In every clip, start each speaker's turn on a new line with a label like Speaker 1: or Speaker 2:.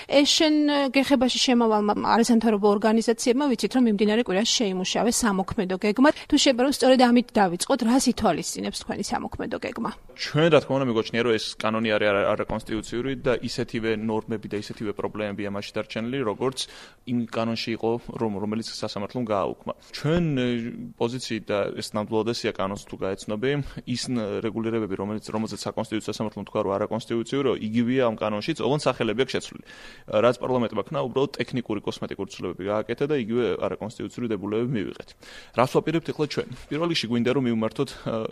Speaker 1: ეს შენ გეხებაში შემავალმა არასამთავრობო ორგანიზაციებმა ვიცით, რომ მიმდინარე კვირაში შეიმუშავეს სამოქმედო გეგმა. თუ შეიძლება რომ სწორედ ამით დავიწყოთ, რას ითვალისწინებს თქვენი სამოქმედო გეგმა?
Speaker 2: ჩვენ რა თქმა უნდა მეგოჩნია, რომ ეს კანონი არის არაკონსტიტუციური და ისეთივე ნორმები და ისეთივე პრობლემები ამაში დარჩენილი, როგორც იმ კანონში იყო, რომელიც სასამართლომ გააუქმა. ჩვენ პოზიციით და ეს ნამდვილად ესია კანონს თუ გაეცნობი, ის რეგულირებები, რომელზეც საკონსტიტუციო სასამართლომ თქვა, რომ არაკონსტიტუციური, იგივეა ამ კანონშიც, ოღონდ სახელები აქვს შეცვლილი. რაც პარლამენტმა ქნა, უბრალოდ ტექნიკური კოსმეტიკური ცვლილებები გააკეთა და იგივე არაკონსტიტუციური დებულებები მივიღეთ. რას ვაპირებთ ახლა ჩვენ? პირველ რიგში გვინდა რომ მივმართოთ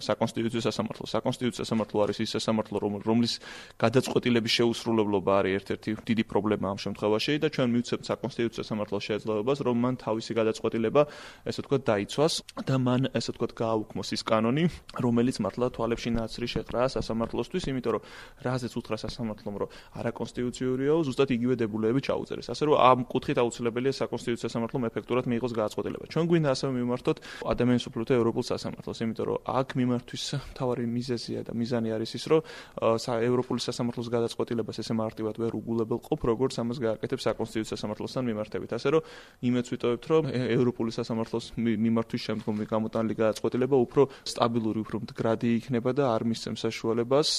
Speaker 2: საკონსტიტუციო სასამართლო. საკონსტიტუციო სასამართლო არის ის სასამართლო, რომლის გადაწყვეტილების შეუსრულებლობა არის ერთ-ერთი დიდი პრობლემა ამ შემთხვევაში და ჩვენ მივცემთ საკონსტიტუციო სასამართლოს შეძლებას, რომ მან თავისი გადაწყვეტილება, ესე ვთქვათ, დაიცვას და მან ესე ვთქვათ გააუქმოს ის კანონი, რომელიც მართლა თვალებში ნაცრი შეყრა სასამართლოსთვის, იმიტომ რომ რაზეც უთხრა სასამართლომ, რომ არაკონსტიტუციურიაო, ზუსტად იგივე დებულებები ჩაუწერეს. ასე რომ ამ კუთხით აუცილებელია საკონსტიტუციო სასამართლომ ეფექტურად მიიღოს გადაწყვეტილება. ჩვენ გვინდა ასევე მივმართოთ ადამიანის უფლებათა ევროპულ სასამართლოს, იმიტომ რომ აქ მიმართვის მთავარი მიზეზია და მიზანი არის ის, რომ ევროპული სასამართლოს გადაწყვეტილებას ესე მარტივად ვერ უგულებელყოფ, როგორც ამას გააკეთებს საკონსტიტუციო სასამართლოსთან მიმართებით. ასე რომ იმედს ვიტოვებთ, რომ ევროპული სასამართლოს მიმართვის შემდგომი გამოტანილი გადაწყვეტილება უფრო სტაბილური, უფრო მდგრადი იქნება და არ მისცემს საშუალებას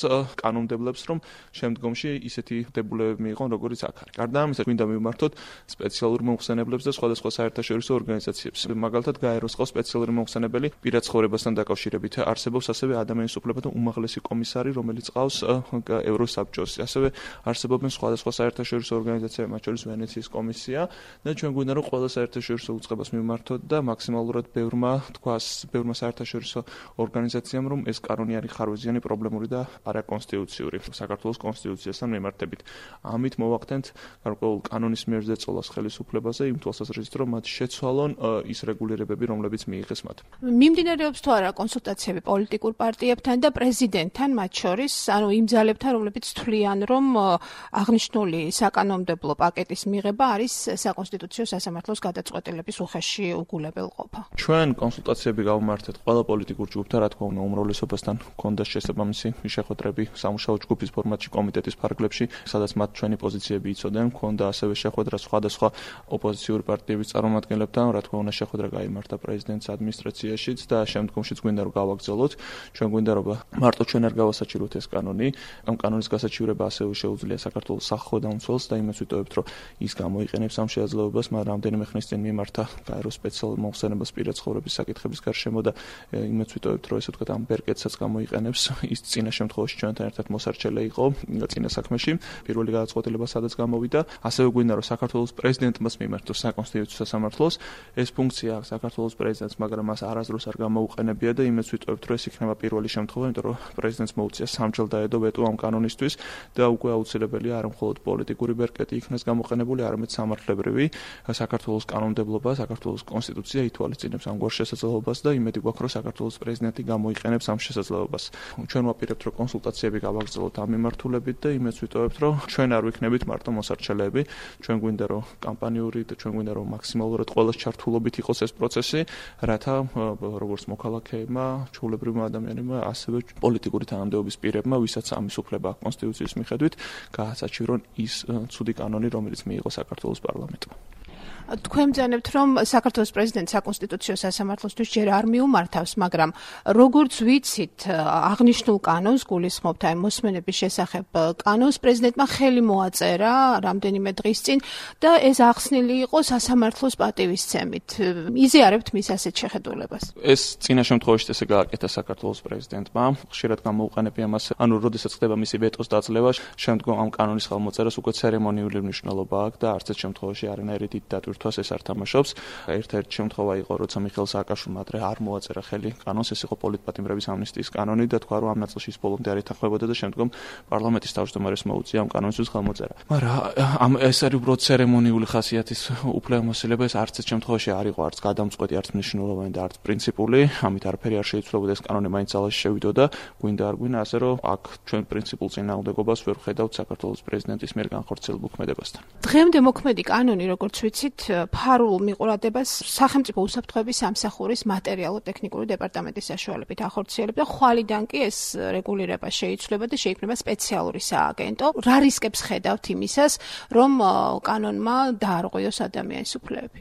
Speaker 2: კანონმდებლებს, რომ შემდგომში ისეთი დებულებები მიიღონ, როგორც აქ არის. გარდა ამისა, გვინდა მივმართოთ სპეციალურ მომხსენებლებს და სხვადასხვა საერთაშორისო ორგანიზაციებს. მაგალითად, გაეროს ყავს სპეციალური მომხსენებელი პირად ცხოვრებასთან დაკავშირებით. არსებობს ასევე ადამიანის უფლებათა უმაღლესი კომისარი, რომელიც ყავს ევროსაბჭოს. ასევე არსებობენ სხვადასხვა საერთაშორისო ორგანიზაციები, მათ შორის ვენეციის კომისია და ჩვენ გვინდა რომ ყველა საერთაშორისო უწყებას მივმართოთ და მაქსიმალურად ბევრმა საერთაშორისო ორგანიზაციამ რომ ეს კანონი არის ხარვეზიანი, პრობლემური და არაკონსტიტუციური საქართველოს კონსტიტუციასთან მიმართებით. ამით მოვახდენთ გარკვეულ კანონის მიერ ზეწოლას ხელისუფლებაზე იმ თვალსაზრისით, რომ მათ შეცვალონ ის რეგულირებები, რომლებიც მიიღეს მათ.
Speaker 1: მიმდინარეობს თუ არა კონსულტაციები პოლიტიკურ პარტიებთან და პრეზიდენტთან მათ შორის, ანუ იმ ძალებთან, რომლებიც თვლიან, რომ აღნიშნული საკანონმდებლო პაკეტის მიღება არის საკონსტიტუციო სასამართლოს გადაწყვეტილების უხეში უგულებელყოფა.
Speaker 2: ჩვენ კონსულტაციები გავმართეთ ყველა პოლიტიკურ ჯგუფთან, რა თქმა უნდა, უმრავლესობასთან ჰქონდა შესაბამისი შეხვედრები სამუშაო ჯგუფის ფორმატში კომიტეტის ფარგლებში, სადაც მათ ჩვენი პოზიციები იცოდნენ, ჰქონდა ასევე შეხვედრა სხვადასხვა ოპოზიციური პარტიების წარმომადგენლებთან, რა თქმა უნდა, შეხვედრა გაიმართა პრეზიდენტის ადმინისტრაციაშიც და შემდგომშიც გვინდა რომ გავაგრძელოთ. ჩვენ გვინდა რომ მარტო ჩვენ არ გავასაჩივროთ ეს კანონი, ამ კანონის გასაჩივრება ასევე შეუძლია საქართველოს სახელმწიფოს და იმას ვიტოვებთ, რომ ის გამოიყენებს ამ შესაძლებლობას, მაგრამ რამდენიმე ხნის წინ მიმართა გაეროს სპეციალურ მომხსენებას პირად ცხოვრების საკითხების გარშემო და იმას ვიტოვებთ, რომ ესე ვთქვათ, ამ ბერკეტსაც გამოიყენებს. ის წინა შემთხვევაში ჩვენთან ერთად მოსარჩელე იყო წინა საქმეში, პირველი გადაწყვეტილება სადაც გამოვიდა. ასევე გვინდა რომ საქართველოს პრეზიდენტმაც მიმართოს საკონსტიტუციო სასამართლოს ეს ფუნქცია აქვს საქართველოს პრეზიდენტს, მაგრამ მას არასდროს არ გამოუყენებია და იმედს ვიტოვებთ, რომ ეს იქნება პირველი შემთხვევა, იმიტომ რომ პრეზიდენტს მოუწია სამჯერ დაედო ვეტო ამ კანონისთვის და უკვე აუცილებელია არა მხოლოდ პოლიტიკური ბერკეტი იქნას გამოყენებული, არამედ სამართლებრივი. საქართველოს კანონმდებლობა, საქართველოს კონსტიტუცია ითვალისწინებს ამგვარ შესაძლებლობას და იმედი გვაქვს, რომ საქართველოს პრეზიდენტი გამოიყენებს ამ შესაძლებლობას. ჩვენ ვაპირებთ, რომ კონსულტაციები გავაგრძელოთ ამ მიმართულებით და იმედს ვიტოვებთ, რომ ჩვენ არ ვიქნებით მარტო მოსარჩელეები. ჩვენ გვინდა რომ კამპანიური და ჩვენ გვინდა რომ მაქსიმალურად ყველას ჩართულობით იყოს ეს პროცესი, რათა როგორც მოქალაქეებმა, ჩვეულებრივმა ადამიანებმა, ასევე პოლიტიკური თანამდებობის პირებმა, ვისაც ამის უფლება აქვს კონსტიტუციის მიხედვით, გაასაჩივრონ ის ცუდი კანონი, რომელიც მიიღო საქართველოს პარლამენტმა.
Speaker 1: თქვენ ბრძანებთ, რომ საქართველოს პრეზიდენტს საკონსტიტუციო სასამართლოსთვის ჯერ არ მიუმართავს, მაგრამ როგორც ვიცით, აღნიშნულ კანონს გულისხმობთ აი მოსმენების შესახებ კანონს პრეზიდენტმა ხელი მოაწერა რამდენიმე დღის წინ და ეს ახსნილი იყო სასამართლოს პატივისცემით. იზიარებთ მის ასეთ შეხედულებას?
Speaker 2: ეს წინა შემთხვევაში ესე გააკეთა საქართველოს პრეზიდენტმა, ხშირად გამოუყენებია მას, ანუ როდესაც ხდება მისი ვეტოს დაძლევა, შემდგომ ამ კანონის ხელმოწერას უკვე ცერემონიული მნიშვნელობა აქვს და არც ერთ შემთხვევაში არანაირი დიდ დატვირთვას ეს არ თამაშობს. ერთ-ერთი შემთხვევა იყო, როცა მიხეილ სააკაშვილმა ადრე არ მოაწერა ხელი კანონს, ეს იყო პოლიტპატიმრების ამნისტიის კანონი და თქვა, რომ ამ ნაწილში ის ბოლომდე არ ეთანხმებოდა და შემდგომ პარლამენტის თავმჯდომარეს მოუწია ამ კანონისთვის ხელმოწერა. მაგრამ ეს არის უბრალოდ ცერემონიული ხასიათის უფლებამოსილება, ეს არც ერთ შემთხვევაში არ იყო არც გადამწყვეტი, არც მნიშვნელოვანი და არც პრინციპული, ამით არაფერი არ შეიცვლებოდა, ეს კანონი მაინც ძალაში შევიდოდა, გვინდა არ გვინდა, ასე რომ აქ ჩვენ პრინციპულ წინააღმდეგობას ვერ ვხედავთ საქართველოს პრეზიდენტის მიერ განხორციელებულ ქმედებასთან.
Speaker 1: დღემდე მოქმედი კანონი, როგორც ვიცით, ფარულ მიყურადებას სახელმწიფო უსაფრთხოების სამსახურის მატერიალურ-ტექნიკური დეპარტამენტის საშუალებით ახორციელებდა, ხვალიდან კი ეს რეგულირება შეიცვლება და შეიქმნება სპეციალური სააგენტო. რა რისკებს ხედავთ იმისას, რომ კანონმა დაარღვიოს ადამიანის უფლებები?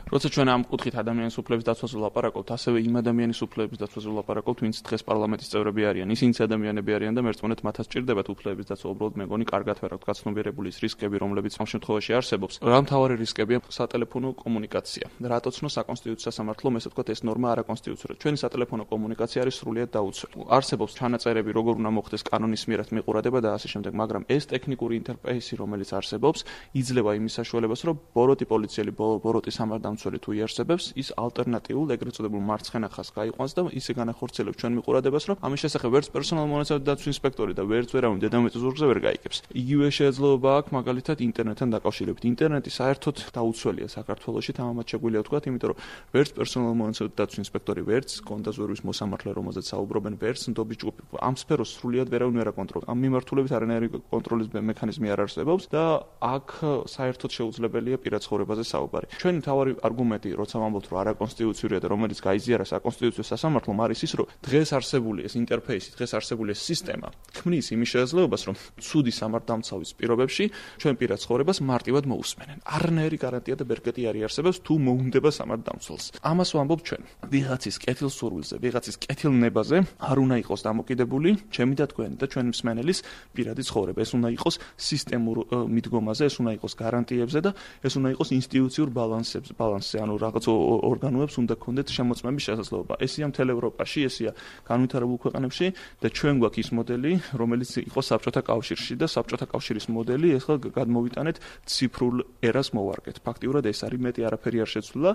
Speaker 2: როცა ჩვენ ამ კუთხით ადამიანის უფლების დაცვაზე ვლაპარაკობთ, ასევე იმ ადამიანის უფლების დაცვაზე ვლაპარაკობთ, ვინც დღეს პარლამენტის წევრები არიან. ისინიც ადამიანები არიან და მერწმუნეთ მათაც ჭირდებათ უფლების დაცვა. უბრალოდ მე მგონი კარგად ვერ აქვს გაცნობიერებული ის რისკები, რომლებიც ამ შემთხვევაში არსებობს. რა მთავარი რისკებია? სატელეფონო კომუნიკაცია. რატო ცნო საკონსტიტუციო სასამართლომ, ესე ვთქვათ, ეს ნორმა არაკონსტიტუციურია. ჩვენი სატელეფონო კომუნიკაცია არის სრულიად დაუცველი. არსებობს ჩანაწერები, როგორ უნდა მოხდეს კანონის მიერად მიყურადება და ასე შემდეგ, მაგრამ ეს ტექნიკური ინტერფეისი, რომელიც არსებობს, იძლევა იმის საშუალებას, რომ ბოროტი პოლიციელი, ბოროტი სამართალდამცველი თუ იარსებებს, ის ალტერნატიულ ეგრეთ წოდებულ მარცხენა ხაზს გაიყვანს და ისე განახორციელებს ჩვენ მიყურადებას, რომ ამის შესახებ ვერც პერსონალურ მონაცემთა დაცვის ინსპექტორი და ვერც ვერავინ დედამიწის ზურგზე ვერ გაიგებს. იგივე შესაძლებლობა აქვს მაგალითად ინტერნეტთან დაკავშირებით. ინტერნეტი საერთოდ დაუცველია საქართველოში, თამამად შეგვიძლია ვთქვათ, იმიტომ რომ ვერც პერსონალურ მონაცემთა დაცვის ინსპექტორი, ვერც კონდაზვერვის მოსამართლე, რომელზეც საუბრობენ, ვერც ნდობის ჯგუფი ამ სფეროს სრულიად ვერავინ ვერ აკონტროლებს. ამ მიმართულებით არანაირი კონტროლის მექანიზმი არ არსებობს და აქ საერთოდ შეუძლებელია პირად ცხოვრებაზე საუბარი. ჩვენი მთავარი არგუმენტი, როცა ვამბობთ, რომ არაკონსტიტუციურია და რომელიც გაიზიარა საკონსტიტუციო სასამართლომ, არის ის, რომ დღეს არსებული ეს ინტერფეისი, დღეს არსებული ეს სისტემა ქმნის იმის შესაძლებლობას, რომ ცუდი სამართალდამცავის პირობებში ჩვენ პირად ცხოვრებას მარტივად მოусმენენ. არანაირი გარანტია და ბერკეტი არ არსებობს თუ მოუნდება სამართალდამცველს. ამას ვამბობ ჩვენ. ვიღაცის კეთილსურვილზე, ვიღაცის კეთილნებაზე არ უნდა იყოს დამოკიდებული ჩემი და თქვენი და ჩვენი მსმენელის პირადი ცხოვრება. ეს უნდა იყოს სისტემურ მიდგომაზე, ეს უნდა იყოს გარანტიებზე და ეს უნდა იყოს ინსტიტუციურ ბალანსზე, ანუ რაღაც ორგანოებს უნდა ქონდეთ შემოწმების შესაძლებლობა. ესია მთელ ევროპაში, ესია განვითარებულ ქვეყნებში და ჩვენ გვაქვს ის მოდელი, რომელიც იყო საბჭოთა კავშირში და საბჭოთა კავშირის მოდელი ახლა გადმოვიტანეთ ციფრულ ერას მოვარგეთ. ფაქტიურად ეს არის მეტი არაფერი არ შეცვლა,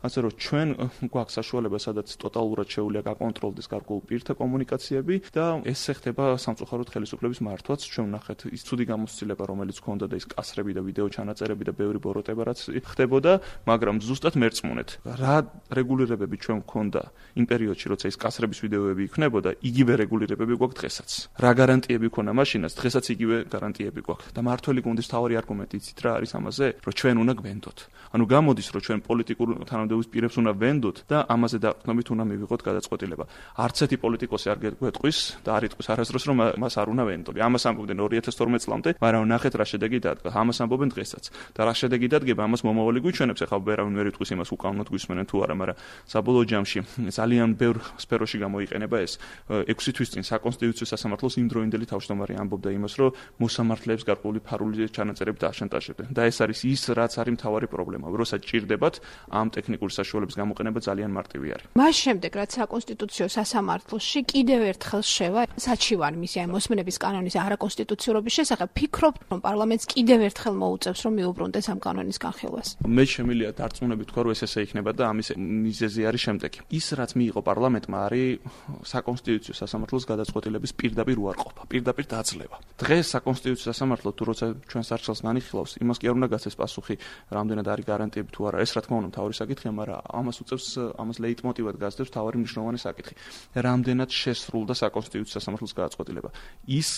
Speaker 2: ასე რომ ჩვენ გვაქვს საშუალება, სადაც ტოტალურად შეუძლია გაკონტროლდეს გარკვეულ პირთა კომუნიკაციები და ეს ხდება სამწუხაროდ ხელისუფლების მართვაც. ჩვენ ვნახეთ ის ცუდი გამოცდილება, რომელიც ჰქონდა და ის კასრები და ვიდეო ჩანაწერები და ბევრი ბოროტება რაც ხდებოდა, მაგრამ ზუსტად მერწმუნეთ, რა რეგულირებები ჩვენ გვქონდა იმ პერიოდში, როცა ის კასრების ვიდეოები იქნებოდა, იგივე რეგულირებები გვაქვს დღესაც. რა გარანტიები ქონა მაშინაც, დღესაც იგივე გარანტიები გვაქვს. და მართველი გუნდის თავი არგუმენტი იცით რა არის ამაზე, რომ ჩვენ უნდა გვენდოთ. ანუ გამოდის, რომ ჩვენ პოლიტიკურ თანამდებობის პირებს უნდა ვენდოთ და ამაზე დაყრდნობით უნდა მივიღოთ გადაწყვეტილება. არც ერთი პოლიტიკოსი არ გვეტყვის და არ იტყვის არასდროს, რომ მას არ უნდა ვენდოთ. ამას ამბობდნენ 2012 წლამდე, მაგრამ ნახეთ რა შედეგი დადგა. ამას ამბობენ დღესაც. და რა შედეგი დადგება, ამას მომავალი გვიჩვენებს. ახლა ვერავინ ვერ იტყვის იმას, უკანონოდ გვისმენენ თუ არა, მაგრამ საბოლოო ჯამში ძალიან ბევრ სფეროში გამოიყენება ეს. 6 თვის წინ საკონსტიტუციო სასამართლოს იმდროინდელი თავმჯდომარე ამბობდა იმას, რომ მოსამართლეებს გარკვეული ფარული ჩანაწერებით აშანტაჟებდნენ. და ეს არის ის, რაც არის მთავარი პრობლემა. როცა ჭირდებათ, ამ ტექნიკური საშუალების გამოყენება ძალიან მარტივი არის.
Speaker 1: მას შემდეგ, რაც საკონსტიტუციო სასამართლოში კიდევ ერთხელ შევა საჩივარი მისი აი მოსმენების კანონის არაკონსტიტუციურობის შესახებ, ფიქრობთ, რომ პარლამენტს კიდევ ერთხელ მოუწევს, რომ მიუბრუნდეს ამ კანონის განხილვას?
Speaker 2: მე შემიძლია დარწმუნებით თქვა, რომ ეს ესე იქნება და ამის მიზეზი არის შემდეგი. ის, რაც მიიღო პარლამენტმა, არის საკონსტიტუციო სასამართლოს გადაწყვეტილების პირდაპირ უარყოფა, პირდაპირ დაძლევა. დღეს საკონსტიტუციო სასამართლო თუ როცა ჩვენს არჩევნს განიხილავს, იმას კი არ უნდა გაცეს პასუხი, რამდენად არის გარანტიები თუ არა. ეს რა თქმა უნდა მთავარი საკითხია, მაგრამ ამას უწევს, ამას ლეიტმოტივად გასდევს მთავარი მნიშვნელოვანი საკითხი. რამდენად შესრულდა საკონსტიტუციო სასამართლოს გადაწყვეტილება. ის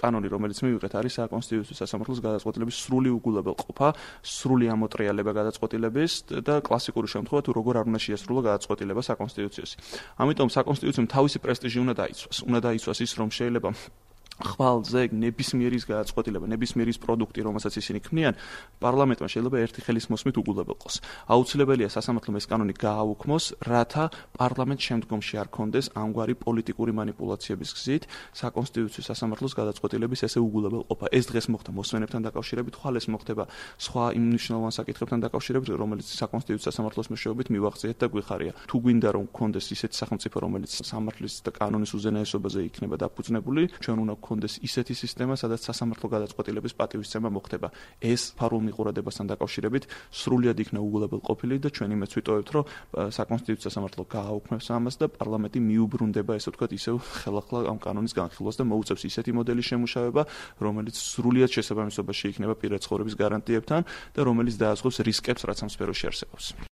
Speaker 2: კანონი, რომელიც მივიღეთ, არის საკონსტიტუციო სასამართლოს გადაწყვეტილების სრული უგულებელყოფა, სრული ამოტრიალება გადაწყვეტილების და კლასიკური შემთხვევა თუ როგორ არ უნდა შეასრულო გადაწყვეტილება საკონსტიტუციოში. ამიტომ საკონსტიტუციომ თავისი პრესტიჟი უნდა დაიცვას. უნდა დაიცვას ის, რომ შეიძლება ხვალზე ნებისმიერის გადაწყვეტილება, ნებისმიერის პროდუქტი, რომელსაც ისინი ქმნიან, პარლამენტმა შეიძლება ერთი ხელის მოსმით უგულებელყოს. აუცილებელია სასამართლომ ეს კანონი გააუქმოს, რათა პარლამენტ შემდგომში არ კონდეს ამგვარი პოლიტიკური манипуляციების გზით საკონსტიტუციო სასამართლოს გადაწყვეტილების ესე უგულებელყოფა. ეს დღეს მოხდა მოსმენებთან დაკავშირებით, ხვალ ეს მოხდება სხვა იმ მნიშვნელოვან საკითხებთან დაკავშირებით, რომელიც საკონსტიტუციო სასამართლოს მეშვეობით მივახციეთ და გვიხარია. თუ გვინდა რომ კონდეს ისეთი სახელმწიფო, რომელიც სამართლის და კანონის უზენაესობაზე იქნება დაფუძნებული, ჩვენ უნდა კონდეს ისეთი სისტემა, სადაც სასამართლო გადაწყვეტილების პატივისცემა მოხდება. ეს ფარულ მიყურადებასთან დაკავშირებით სრულიად იქნა უგულებელყოფილი და ჩვენ იმეც ვიტოვებთ, რომ საკონსტიტუციო სასამართლო გააუქმებს ამას და პარლამენტი მიუბრუნდება, ესე ვთქვათ, ისევ ხელახლა ამ კანონის განხილვას და მოუწევს ისეთი მოდელის შემუშავება, რომელიც სრულიად შესაბამისობაში იქნება პირად ცხოვრების გარანტიებთან და რომელიც დაასრულებს რისკებს, რაც ამ სფეროში არსებობს.